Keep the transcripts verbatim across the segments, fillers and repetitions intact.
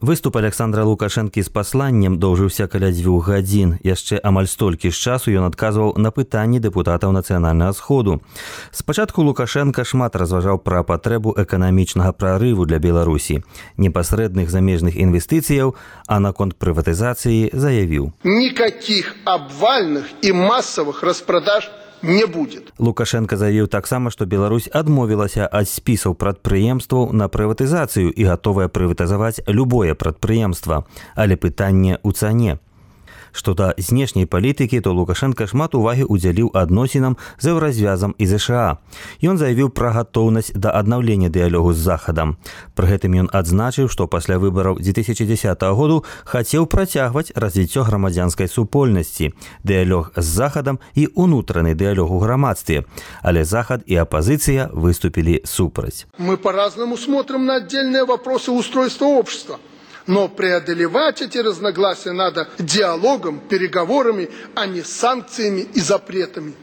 Выступ Александра Лукашэнкі з пасланнем доўжыўся каля дзвюх гадзін. Яшчэ амаль столькі ж часу ён адказваў на пытанні дэпутатаў нацыянальнага сходу. Спачатку Лукашенка шмат разважаў пра патрэбу эканамічнага прарыву для Беларусі, непасрэдных замежных інвестыцыяў, а наконт прыватызацыі заявіў: «Никаких обвальных и массовых распродаж не будет». Лукашенко заявіў таксама, што Беларусь адмовілася ад спісаў прадпрыемстваў на прыватызацыю і гатовая прыватызаваць любое прадпрыемства, але пытанне ў цане. Што да знешняй палітыкі, то Лукашенко шмат увагі ўдзяліў адносінам з еўразвязам і ЗША. Ён заявіў пра гатоўнасць да аднаўлення дыялогу з Захадам. Пры гэтым ён адзначыў, што пасля выбараў дзве тысячы дзесятага году хацеў працягваць развіццё грамадзянскай супольнасці, дыялог з Захадам і ўнутраны дыялог у грамадстве. Але Захад і апозіцыя выступілі супраць. Мы по-разному смотрим на отдельные вопросы устройства общества. Но преодолевать эти разногласия надо диалогом, переговорами, а не санкциями и запретами.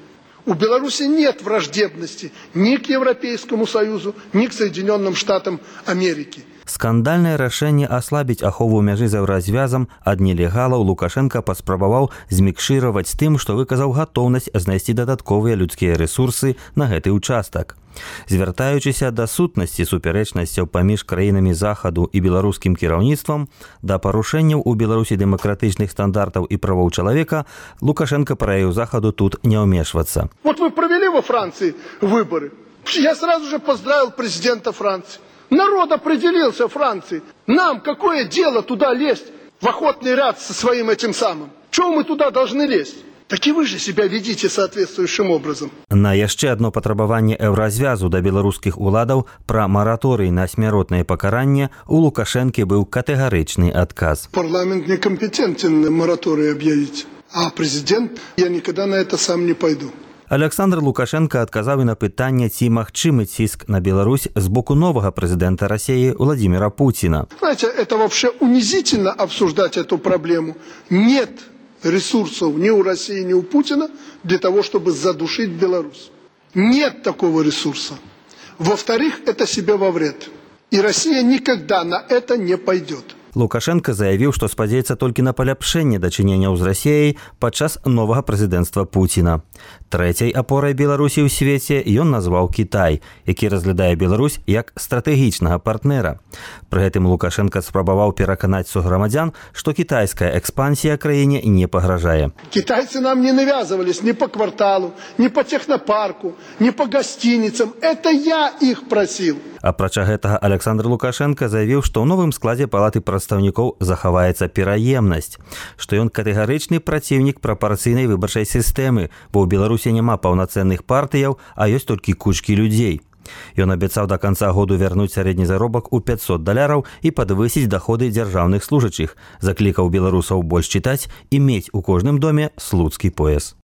У Беларуси нет враждебности ни к Европейскому Союзу, ни к Соединенным Штатам Америки. Скандальнае рашэнне аслабіць ахову мяжы з еўразвязам ад нелегалаў Лукашенко паспрабаваў змікшыраваць тым, што выказаў гатоўнасць знайсці дадатковыя людскія рэсурсы на гэты ўчастак. Звяртаючыся да сутнасці супярэчнасцяў паміж краінамі Захаду і беларускім кіраўніцтвам, да парушэнняў у Беларусі дэмакратычных стандартаў і правоў чалавека, Лукашенко параіў Захаду тут не ўмешвацца. Вот вы провели во Франции выборы. Я сразу же поздравил президента Франции. Народ определился в Франции. Нам какое дело туда лезть в охотный ряд со своим этим самым? Чего мы туда должны лезть? Так и вы же себя ведите соответствующим образом. На яшчэ одно патрабаванне еўразвязу да беларускіх уладаў пра мараторый на смяротнае пакаранне у Лукашэнкі быў катэгарычны адказ. Парламент некомпетентен мораторий объявить, а президент, я никогда на это сам не пойду. Александр Лукашенко адказаў і на пытанне, ці магчымы ціск на Беларусь з боку новага прэзідэнта России Владимира Путина. Знаете, это вообще унизительно обсуждать эту проблему. Нет ресурсов ни у России, ни у Путина для того, чтобы задушить Беларусь. Нет такого ресурса. Во-вторых, это себе во вред. И Россия никогда на это не пойдет. Лукашенко заявіў, што спадзяецца толькі на паляпшэнне дачыненняў з Расіяй падчас новага прэзідэнцтва Пуціна. Трэцяй апорай Беларусі ў свеце ён назваў Кітай, які разглядае Беларусь як стратэгічнага партнера. Пры гэтым Лукашенко спрабаваў пераканаць суграмадзян, што кітайская экспансія краіне не пагражае. Китайцы нам не навязывались ни по кварталу, ни по технопарку, ни по гостиницам. Это я их просил. Апрача гэтага Александр Лукашенко заявіў, што ў новым складзе палаты прадстаўнікоў захаваецца пераемнасць, што ён катэгарычны праціўнік прапарцыйнай выбарчай сістэмы, бо ў Беларусі няма паўнацэнных партыяў, а ёсць толькі кучкі людзей. Ён абяцаў да канца году вярнуць сярэдні заробак у пятьсот даляраў і падвысіць даходы дзяржаўных служачых, заклікаў беларусаў больш чытаць і мець у кожным доме слуцкі пояс.